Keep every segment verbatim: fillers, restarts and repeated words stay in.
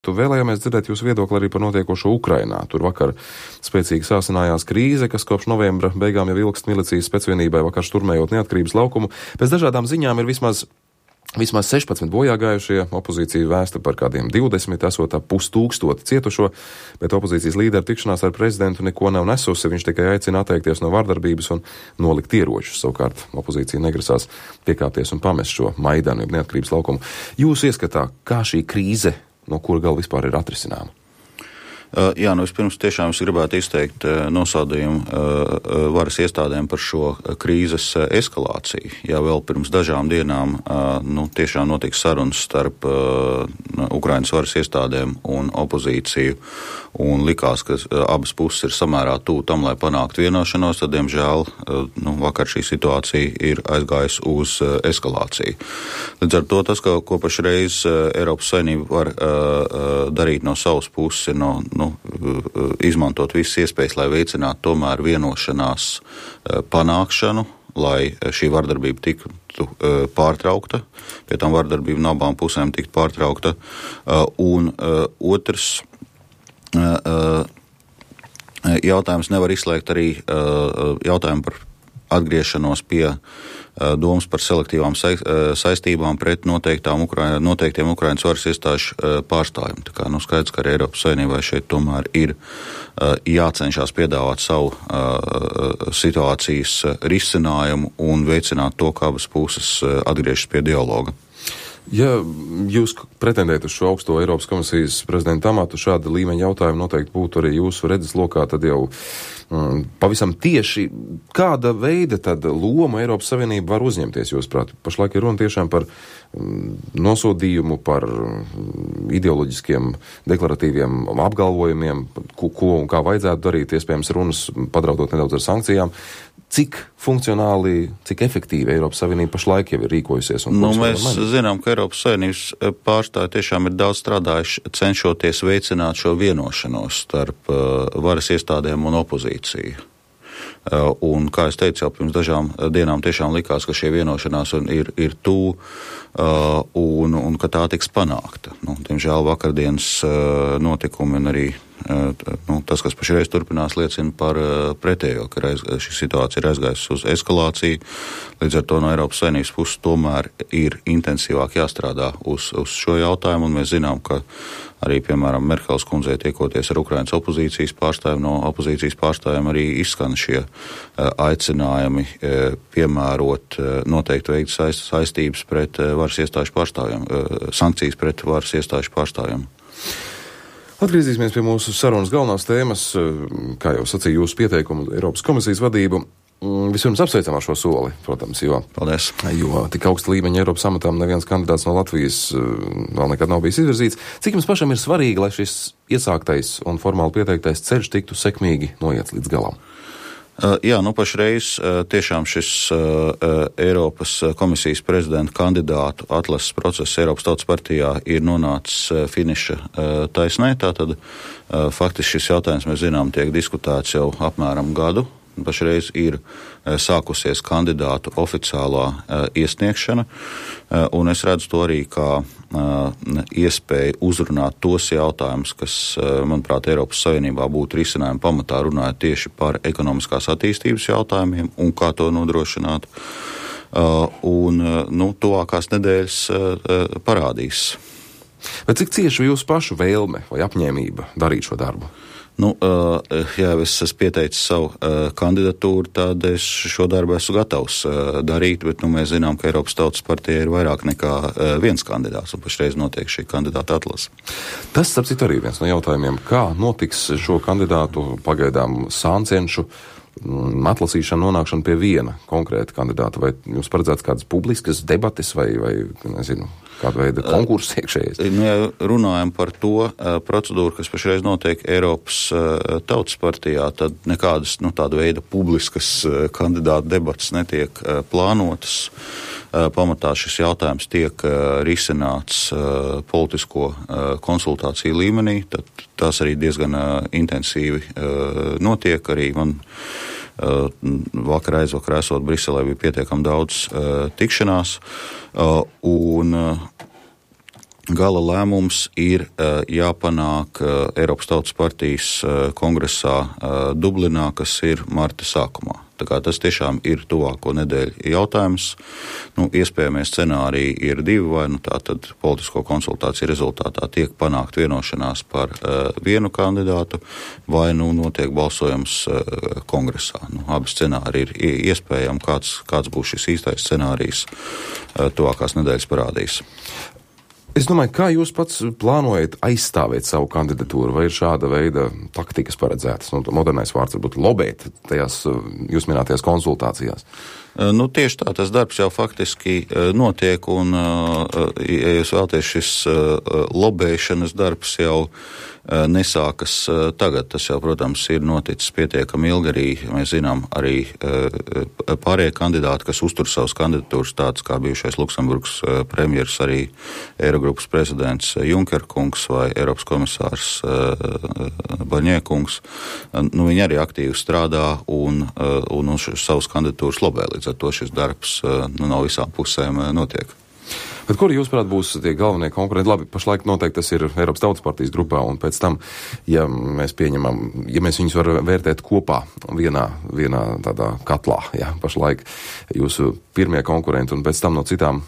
Vēlējāmies dzirdēt jūsu viedokli arī par notiekošo Ukrainā. Tur vakar spēcīgi sāsinājās krīze, kas kopš novembra beigām jau ilgst milicijas specvienībai vakar šturmējot neatkarības laukumu. Pēc dažādām ziņām ir vismaz, vismaz sešpadsmit bojāgājušie, opozīcija vēsta par kādiem divdesmit, esot ap pustūkstoti cietušo, bet opozīcijas līdera tikšanās ar prezidentu neko nav nesusi, viņš tikai aicina atteikties no vardarbības un nolikt ieročus. Savukārt opozīcija negrasās piekāpties un pamest šo Maidanu, jeb neatkarības laukumu. Jūs ieskatā, kā šī krīze, no kura gal vispār ir atrisināma? Uh, jā, nu vispirms tiešām es gribētu izteikt uh, nosodījumu uh, varas iestādēm par šo krīzes uh, eskalāciju. Ja vēl pirms dažām dienām uh, nu, tiešām notika sarunas starp uh, Ukrainas varas iestādēm un opozīciju, un likās, ka uh, abas puses ir samērā tuvu tam, lai panāktu vienošanos, tad, diemžēl, uh, nu, vakar šī situācija ir aizgājusi uz uh, eskalāciju. Līdz ar to tas, ko, ko pašreiz uh, Eiropas Savienība var uh, uh, darīt no savas puses, ir no, no Nu, izmantot visas iespējas, lai veicinātu tomēr vienošanās panākšanu, lai šī vardarbība tiktu pārtraukta, pie tam vardarbība no abām pusēm tiktu pārtraukta. Un otrs jautājums nevar izslēgt arī jautājumu par atgriešanos pie domas par selektīvām saistībām pret noteiktām Ukra... noteiktiem Ukrainas varas iestāžu pārstāvjiem. Tā kā, nu, skaidrs, ka arī Eiropas Savienībai šeit tomēr ir jācenšas piedāvāt savu situācijas risinājumu un veicināt to, kā abas puses atgriežas pie dialoga. Ja jūs pretendējat uz šo augsto Eiropas komisijas prezidenta amatu, šāda līmeņa jautājumi noteikti būtu arī jūsu redzeslokā, tad jau mm, pavisam tieši kāda veida tad loma Eiropas Savienība var uzņemties, jūs prāt? Pašlaik ir runa tiešām par mm, nosodījumu, par mm, ideoloģiskiem deklaratīviem apgalvojumiem, ko, ko un kā vajadzētu darīt, iespējams runas padraudot nedaudz ar sankcijām. Cik funkcionāli, cik efektīvi Eiropas Savienība pašlaik jau ir rīkojusies? Un nu, mēs zinām, ka Eiropas Savienības pārstāvji tiešām ir daudz strādājuši, cenšoties veicināt šo vienošanos starp uh, varas iestādēm un opozīciju. Uh, un, kā es teicu, jau pirms dažām dienām tiešām likās, ka šie vienošanās ir, ir tuvu uh, un, un ka tā tiks panākta. Nu, diemžēl vakardienas uh, notikumi un arī uh, nu, tas, kas pašreiz turpinās, liecina par uh, pretējo, ka reiz, šī situācija ir aizgājusi uz eskalāciju. Līdz ar to no Eiropas Savienības puses tomēr ir intensīvāk jāstrādā uz, uz šo jautājumu, un mēs zinām, ka arī, piemēram, Merkels kundzei tiekoties ar Ukrainas opozīcijas pārstāvjiem, no opozīcijas pārstāvjiem arī izskan šie uh, aicinājumi uh, piemērot uh, noteikti veikt saist, saistības pret uh, varas iestāžu pārstāvjiem, uh, sankcijas pret varas iestāžu pārstāvjiem. Atgriezīsimies pie mūsu sarunas galvenās tēmas, kā jau sacīja jūsu pieteikumu Eiropas komisijas vadību. Vispirms apsveicam ar šo soli, protams, jo, Paldies. jo tik augsta līmeņa Eiropas amatām neviens kandidāts no Latvijas vēl nekad nav bijis izvirzīts. Cik jums pašam ir svarīgi, lai šis iesāktais un formāli pieteiktais ceļš tiktu sekmīgi noiets līdz galam? Uh, jā, nu pašreiz uh, tiešām šis uh, Eiropas komisijas prezidenta kandidātu atlases process Eiropas Tautas partijā ir nonācis uh, finiša uh, taisnē. Tātad uh, faktiski šis jautājums, mēs zinām, tiek diskutēts jau apmēram gadu. Pašreiz ir uh, sākusies kandidātu oficiālā uh, iesniegšana, uh, un es redzu to arī kā uh, iespēju uzrunāt tos jautājumus, kas, uh, manuprāt, Eiropas Savienībā būtu risinājumi pamatā runājot tieši par ekonomiskās attīstības jautājumiem un kā to nodrošināt. Uh, un, uh, nu, tuvākās nedēļas uh, parādīs. Bet cik cieši jūsu pašu vēlme vai apņēmība darīt šo darbu? Nu, ja es esmu pieteicis savu kandidatūru, tad es šo darbu esmu gatavs darīt, bet nu, mēs zinām, ka Eiropas Tautas partija ir vairāk nekā viens kandidāts, un pašreiz notiek šī kandidāta atlase. Tas, starp citu, arī viens no jautājumiem, kā notiks šo kandidātu pagaidām sāncenšu atlasīšana, nonākšana pie viena konkrēta kandidāta, vai jums paredzēts kādas publiskas debates vai, vai nezinu, kāda veida konkurss iekšējais? Nu, ja runājam par to uh, procedūru, kas pašreiz notiek Eiropas uh, Tautas partijā, tad nekādas nu, tāda veida publiskas uh, kandidāta debates netiek uh, plānotas. Uh, pamatā šis jautājums tiek uh, risināts uh, politisko uh, konsultāciju līmenī, tad tās arī diezgan uh, intensīvi uh, notiek. Arī man uh, vakar aizvakar esot Briselē bija pietiekami daudz uh, tikšanās, uh, un uh, gala lēmums ir jāpanāk Eiropas Tautas partijas kongresā Dublinā, kas ir marta sākumā. Tā kā tas tiešām ir tuvāko nedēļu jautājums. Nu, iespējamie scenāriji ir divi, vai nu tā tad politisko konsultāciju rezultātā tiek panākt vienošanās par uh, vienu kandidātu, vai nu notiek balsojums uh, kongresā. Nu, abi scenāriji ir iespējami, kāds, kāds būs šis īstais scenārijs uh, tuvākās nedēļas parādīs. Es domāju, kā jūs pats plānojat aizstāvēt savu kandidatūru, vai ir šāda veida taktikas paredzētas? Nu, modernais vārds varbūt lobēt tajās jūs minētajās konsultācijās. Nu, tieši tā, tas darbs jau faktiski notiek, un, ja jūs vēlaties, šis lobēšanas darbs jau nesākas tagad. Tas jau, protams, ir noticis pietiekami ilgi. Arī mēs zinām arī pārējie kandidāti, kas uztur savas kandidatūras, tāds kā bijušais Luksemburgas premjers, arī Eirogrupas prezidents Junker kungs vai Eiropas komisārs Barņē kungs. Nu, viņi arī aktīvi strādā un, un uz savas kandidatūras lobē. Līdz ar to šis darbs nu, no visām pusēm notiek. Bet kuri jūs, prāt, būs tie galvenie konkurenti? Labi, pašlaik noteikti tas ir Eiropas Tautas partijas grupā, un pēc tam, ja mēs pieņemam, ja mēs viņus varam vērtēt kopā vienā, vienā tādā katlā, ja, pašlaik jūsu pirmie konkurenti, un pēc tam no citām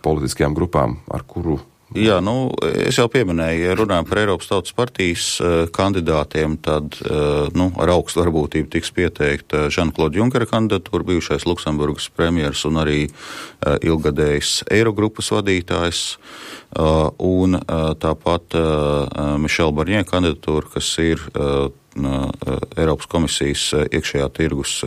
politiskajām grupām, ar kuru... Jā, nu, es jau pieminēju, ja runājam par Eiropas Tautas partijas uh, kandidātiem, tad uh, nu, ar augstu varbūtību tiks pieteikta Žana-Kloda Junkera kandidatūra, bijušais Luksemburgas premjers un arī uh, ilgadējs Eirogrupas vadītājs, uh, un uh, tāpat uh, Mišela Barņē kandidatūra, kas ir uh, Eiropas komisijas iekšējā tirgus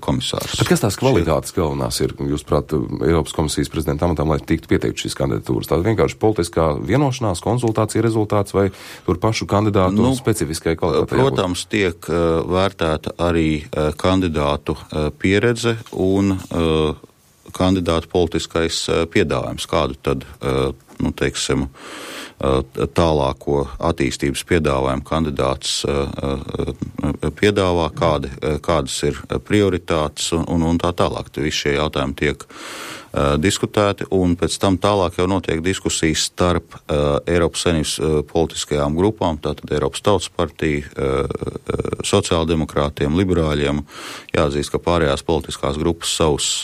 komisārs. Bet kas tās kvalitātes galvenās ir, jūs prāt, Eiropas komisijas prezidenta amatam, lai tiktu pieteikt šīs kandidatūras? Tā vienkārši politiskā vienošanās, konsultācija rezultāts vai tur pašu kandidātu nu, specifiskai kvalitātei? Protams, tiek uh, vērtēta arī uh, kandidātu uh, pieredze un uh, kandidātu politiskais uh, piedāvājums, kādu tad, uh, nu, teiksim, tālāko attīstības piedāvājumu kandidāts piedāvā, kādi, kādas ir prioritātes un, un, un tā tālāk. Visi šie jautājumi tiek uh, diskutēti, un pēc tam tālāk jau notiek diskusijas starp uh, Eiropas Savienības uh, politiskajām grupām, tātad Eiropas Tautas partija, uh, sociāldemokrātiem, liberāļiem. Jāatzīst, ka pārējās politiskās grupas savus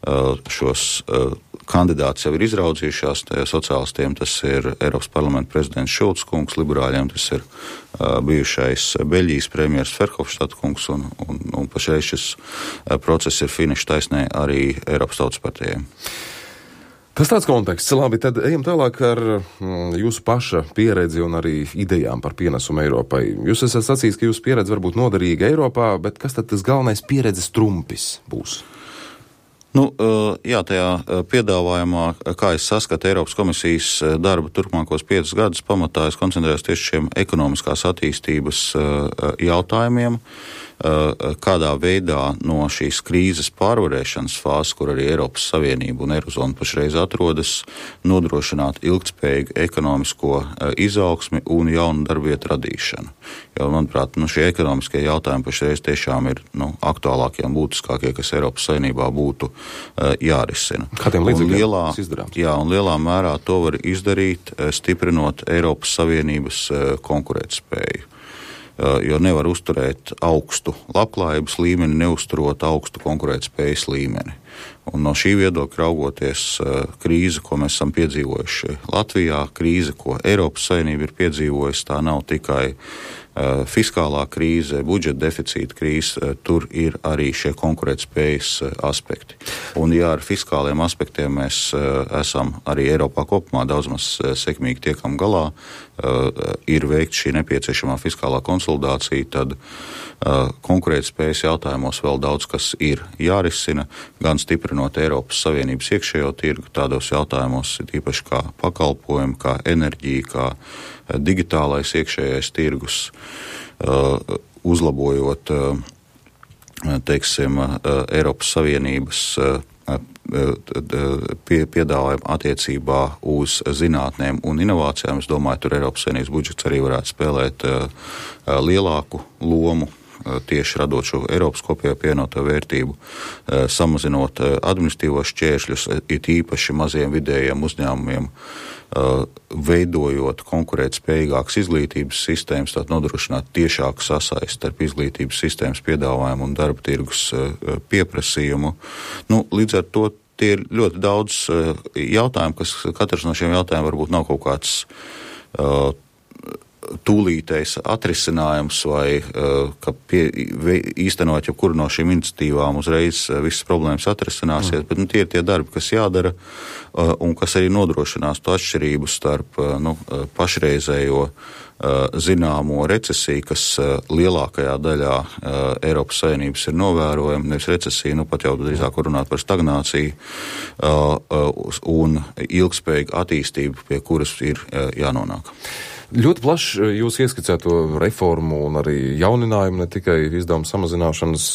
uh, šos uh, kandidāts jau ir izraudzījušās, sociālistiem tas ir Eiropas parlamenta prezidents Šulcs kungs, liberāļiem tas ir uh, bijušais Beļģijas premjers Ferhofštata kungs, un, un, un pašreiz šis uh, process ir finiša taisnē arī Eiropas Tautas partijai. Tas tāds konteksts. Labi, tad ejam tālāk ar mm, jūsu paša pieredzi un arī idejām par pienesumu Eiropai. Jūs esat sacījis, ka jūsu pieredze var būt noderīga Eiropā, bet kas tad tas galvenais pieredzes trumpis būs? Nu, jā, tajā piedāvājumā, kā es saskatu Eiropas komisijas darba turpmākos piecus gadus, pamatā es koncentrējos tieši šiem ekonomiskās attīstības jautājumiem, kādā veidā no šīs krīzes pārvarēšanas fāzes, kur arī Eiropas Savienība un Eirozona pašreiz atrodas, nodrošināt ilgtspējīgu ekonomisko izaugsmi un jaunu darbvietu radīšanu. Jo, manuprāt, nu, šie ekonomiskie jautājumi pašreiz tiešām ir nu, aktuālākie un būtiskākie, kas Eiropas Savienībā būtu uh, jārisina. Kādiem līdzekļiem tas izdarāms? Jā, un lielā mērā to var izdarīt, stiprinot Eiropas Savienības uh, konkurētspēju. Jo nevar uzturēt augstu labklājības līmeni, neuzturot augstu konkurētspējas līmeni. Un no šī viedokļa raugoties krīze, ko mēs esam piedzīvojuši Latvijā, krīze, ko Eiropas Savienība ir piedzīvojusi, tā nav tikai uh, fiskālā krīze, budžeta deficīta krīze, uh, tur ir arī šie konkurētspējas uh, aspekti. Un ja ar fiskāliem aspektiem mēs uh, esam arī Eiropā kopumā daudz maz uh, sekmīgi tiekam galā, uh, ir veikt šī nepieciešamā fiskālā konsolidācija, tad uh, konkurētspējas jautājumos vēl daudz kas ir jārisina, gan stiprinot Eiropas Savienības iekšējo tirgu tādos jautājumos, īpaši kā pakalpojumi, kā enerģija, kā digitālais iekšējais tirgus, uzlabojot, teiksim, Eiropas Savienības pie, piedāvājumu attiecībā uz zinātnēm un inovācijām. Es domāju, tur Eiropas Savienības budžets arī varētu spēlēt lielāku lomu tieši radot šo Eiropas kopējo pievienoto vērtību, samazinot administratīvos šķēršļus, it īpaši maziem vidējiem uzņēmumiem, veidojot konkurētspējīgākas izglītības sistēmas, tātad nodrošināt tiešāku sasaisti starp izglītības sistēmas piedāvājumu un darba tirgus pieprasījumu. Nu, līdz ar to tie ir ļoti daudz jautājumu, kas katrs no šiem jautājumiem varbūt nav kaut kāds uh, tūlītais atrisinājums vai uh, ka pie, īstenot jau kuru no šīm iniciatīvām uzreiz uh, visas problēmas atrisināsies, mm. bet nu, tie ir tie darbi, kas jādara uh, un kas arī nodrošinās to atšķirību starp uh, nu, pašreizējo zināmo recesiju, kas lielākajā daļā Eiropas Savienības ir novērojama, nevis recesija, nu pat jau drīzāk runāt par stagnāciju un ilgspējīgu attīstību, pie kuras ir jānonāk. Ļoti plaši jūs ieskicēto reformu un arī jauninājumu, ne tikai izdevumu samazināšanas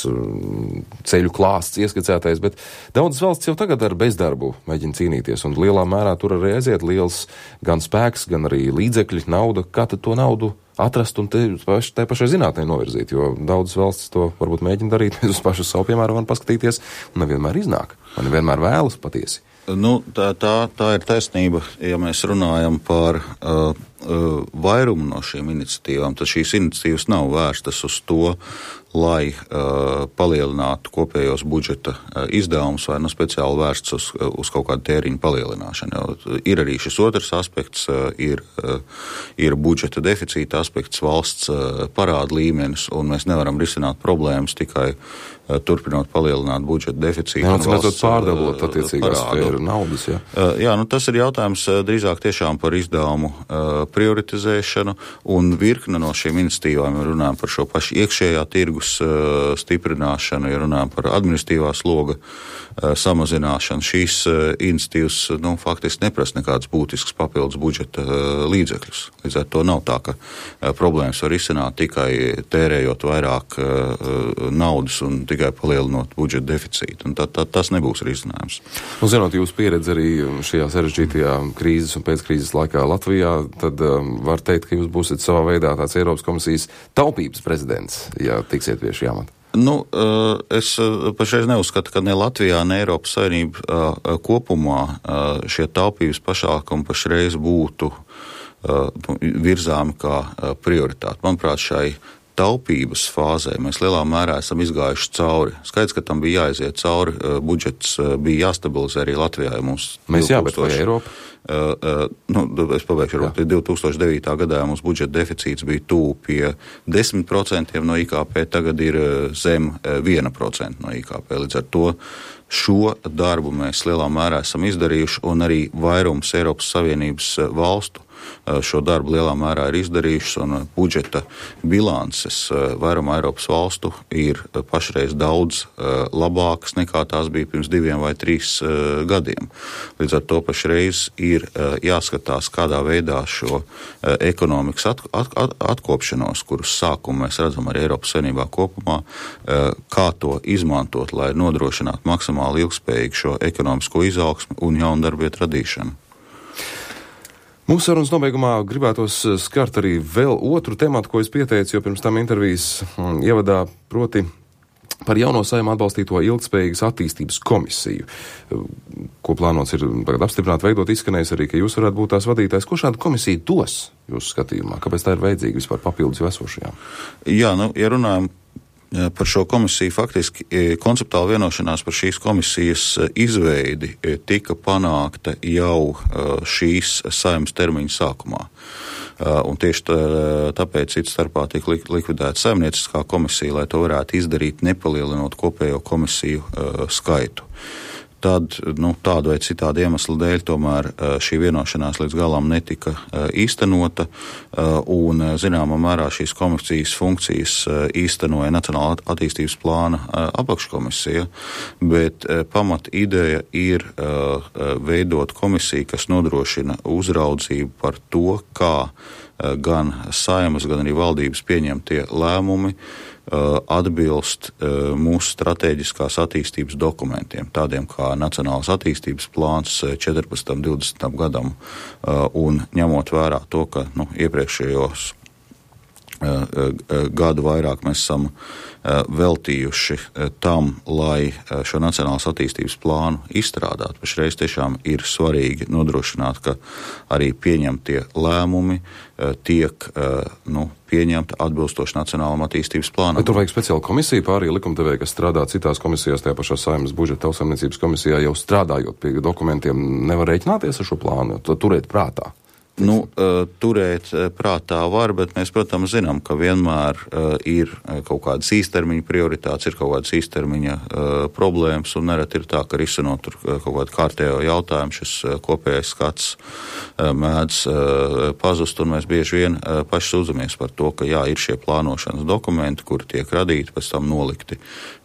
ceļu klāsts ieskicētais, bet daudzas valsts jau tagad ar bezdarbu mēģina cīnīties, un lielā mērā tur arī aiziet liels gan spēks, gan arī līdzekļi, nauda. Kā tad to naudu atrast un te, te pašai zinātnē novirzīt, jo daudzas valstis to varbūt mēģina darīt, mēs uz pašu savu piemēru varam paskatīties, un nevienmēr iznāk, un nevienmēr vēlas patiesi. Nu, tā, tā, tā ir taisnība, ja mēs runājam par uh, uh, vairumu no šīm iniciatīvām, tad šīs iniciatīvas nav vērstas uz to, lai uh, palielinātu kopējos budžeta uh, izdevumus vai nu speciāli vērsts uz, uz kaut kādu tēriņu palielināšanu. Jo ir arī šis otrs aspekts, uh, ir, uh, ir budžeta deficīta aspekts, valsts uh, parāda līmenis, un mēs nevaram risināt problēmas tikai uh, turpinot palielināt budžeta deficītu. Jā, un valsts pārdalot attiecīgās sfēru naudas, jā. Uh, jā, nu tas ir jautājums uh, drīzāk tiešām par izdevumu uh, prioritizēšanu, un virkne no šīm iniciatīvām, ja runājam par šo pašu iekšējā tirgus stiprināšanu, ja runājam par administratīvā sloga samazināšanu. Šīs iniciatīvas nu, faktiski neprasa nekādas būtiskas papildus budžeta līdzekļus. Līdz ar to nav tā, ka problēmas var izsināt tikai tērējot vairāk naudas un tikai palielinot budžeta deficītu. Un tā, tā, tas nebūs risinājums. Nu, zinot jūsu pieredzi arī šajā sarežģītajā krīzes un pēckrīzes laikā Latvijā, tad um, var teikt, ka jūs būsiet savā veidā tāds Eiropas komisijas taupības prezidents, ja tiksiet pie šī amata. Nu, es pašreiz neuzskatu, ka ne Latvijā, ne Eiropas Savienība kopumā šie taupības pasākumi pašreiz būtu virzāmi kā prioritāti. Manuprāt, šai taupības fāzē mēs lielā mērā esam izgājuši cauri. Skaidrs, ka tam bija jāiziet cauri, budžets bija jāstabilizē arī Latvijā. Ja mums mēs jā, bet vai Eiropa? Uh, uh, nu, es pabeigšu, varbūt divi tūkstoši devītā gadā mums budžeta deficīts bija tuvu pie desmit procentiem no I K P, tagad ir zem viena procenta no I K P. Līdz ar to šo darbu mēs lielā mērā esam izdarījuši, un arī vairums Eiropas Savienības valstu šo darbu lielā mērā ir izdarījušas, un budžeta bilances vairumā Eiropas valstu ir pašreiz daudz labākas nekā tās bija pirms diviem vai trīs gadiem. Līdz ar to pašreiz ir jāskatās, kādā veidā šo ekonomikas at, at, at, atkopšanos, kuras sākumu mēs redzam arī Eiropas Savienībā kopumā, kā to izmantot, lai nodrošinātu maksimāli ilgspējīgu šo ekonomisko izaugsmi un jaunu darbvietu radīšanu. Mūsu sarunas nobeigumā gribētos skart arī vēl otru tematu, ko es pieteicu, jo pirms tam intervijas ievadā, proti par jauno Saeimā atbalstīto ilgspējīgas attīstības komisiju, ko plānots ir tagad apstiprināt, veidot, izskanējis arī, ka jūs varētu būt tās vadītājs. Ko šāda komisija dos jūsu skatījumā? Kāpēc tā ir vajadzīga vispār papildus esošajām? Jā, nu, ja runājam par šo komisiju, faktiski konceptuāla vienošanās par šīs komisijas izveidi tika panākta jau šīs Saeimas termiņa sākumā. Un tieši tā, tāpēc cits starpā tika likvidēta saimnieciskā komisija, lai to varētu izdarīt, nepalielinot kopējo komisiju skaitu. Tad, nu, tādu vai citādu iemeslu dēļ tomēr šī vienošanās līdz galam netika īstenota, un zināmā mērā šīs komisijas funkcijas īstenoja Nacionālā attīstības plāna apakškomisija, bet pamat ideja ir veidot komisiju, kas nodrošina uzraudzību par to, kā gan Saeimas, gan arī valdības pieņemtie lēmumi atbilst mūsu stratēģiskās attīstības dokumentiem, tādiem kā Nacionālās attīstības plāns četrpadsmitam divdesmitam gadam, un ņemot vērā to, ka nu, iepriekšējos gadu vairāk mēs esam veltījuši tam, lai šo nacionālās attīstības plānu izstrādātu. Pašreiz tiešām ir svarīgi nodrošināt, ka arī pieņemtie lēmumi tiek nu, pieņemta atbilstoši nacionālam attīstības plānam. Bet tur vajag speciālu komisiju, pārējie likumdevēji, kas strādā citās komisijās, tajā pašā Saeimas budžeta tautsaimniecības komisijā, jau strādājot pie dokumentiem, nevar rēķināties ar šo plānu, to turēt prātā. Nu, turēt prātā var, bet mēs, protams, zinām, ka vienmēr ir kaut kādas īstermiņa prioritātes, ir kaut kādas īstermiņa problēmas, un nereti ir tā, ka risinot tur kaut kādu kārtējo jautājumu, šis kopējais skats mēdz pazust, un mēs bieži vien paši sūdzamies par to, ka jā, ir šie plānošanas dokumenti, kuri tiek radīti, pēc tam nolikti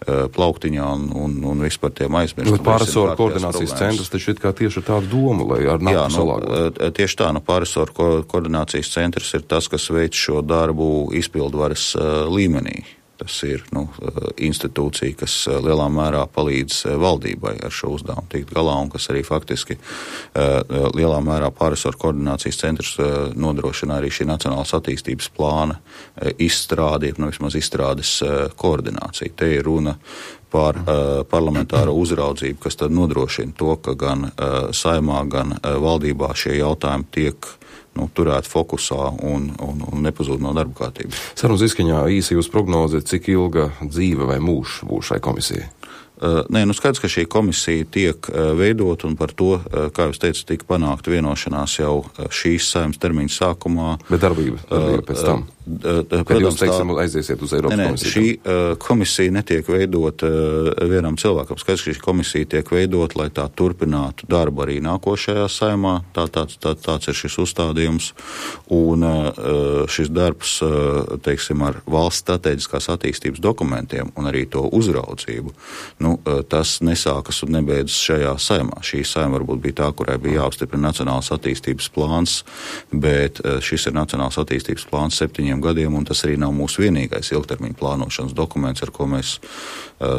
plauktiņā un, un, un vispār tiem aizmirst. Bet pārresoru koordinācijas centrs taču ir kā tieši ar tādu domu, lai ar nāku salāgot. Nu, tieši tā, nu, pārresoru ko, koordinācijas centrs ir tas, kas veic šo darbu izpildvaras uh, līmenī. Tas ir nu, institūcija, kas lielā mērā palīdz valdībai ar šo uzdevumu tikt galā un kas arī faktiski lielā mērā pārresoru koordinācijas centrs nodrošina arī šī nacionālās attīstības plāna izstrādi, nu vismaz izstrādes koordināciju. Te ir runa par uh, parlamentāro uzraudzību, kas tad nodrošina to, ka gan uh, Saeimā, gan uh, valdībā šie jautājumi tiek nu, turēt fokusā un, un, un nepazūd no darba kārtības. Sarunas izskaņā īsi jūs prognoze, cik ilga dzīve vai mūžs būs šai komisijai? Uh, nē, nu skaidrs, ka šī komisija tiek uh, veidot un par to, uh, kā jūs teicat, tika panākta vienošanās jau uh, šīs Saeimas termiņa sākumā. Bet darbība, darbība pēc tam? Uh, uh, Kad protams, jūs, teiksim, tā, aiziesiet uz Eiropas ne, ne, komisiju? Šī uh, komisija netiek veidot uh, vienam cilvēkam. Skaidrs, ka šī komisija tiek veidot, lai tā turpinātu darbu arī nākošajā Saeimā. Tā, tāds, tā, tāds ir šis uzstādījums. Un uh, šis darbs, uh, teiksim, ar valsts strateģiskās attīstības dokumentiem un arī to uzraudzību, nu, tas nesākas un nebeidzas šajā Saeimā. Šī Saeima varbūt bija tā, kurai bija jāapstiprina nacionāls attīstības plāns, bet šis ir nacionāls attīstības plāns septiņiem gadiem, un tas arī nav mūsu vienīgais ilgtermiņa plānošanas dokuments, ar ko mēs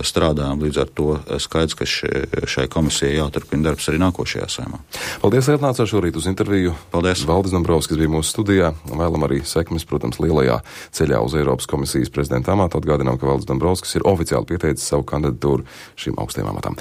strādājam. Līdz ar to skaidrs, ka šai komisijai jāturpina darbs arī nākošajā Saeimā. Paldies, ka atnācāt šorīt uz interviju. Paldies. Valdis Dombrovskis bija mūsu studijā. Vēlam arī sekmes, protams, lielajā ceļā uz Eiropas komisijas prezidenta amatu. Atgādinām, ka Valdis Dombrovskis ir oficiāli pieteicis savu kandidatūru šim augstajam amatam.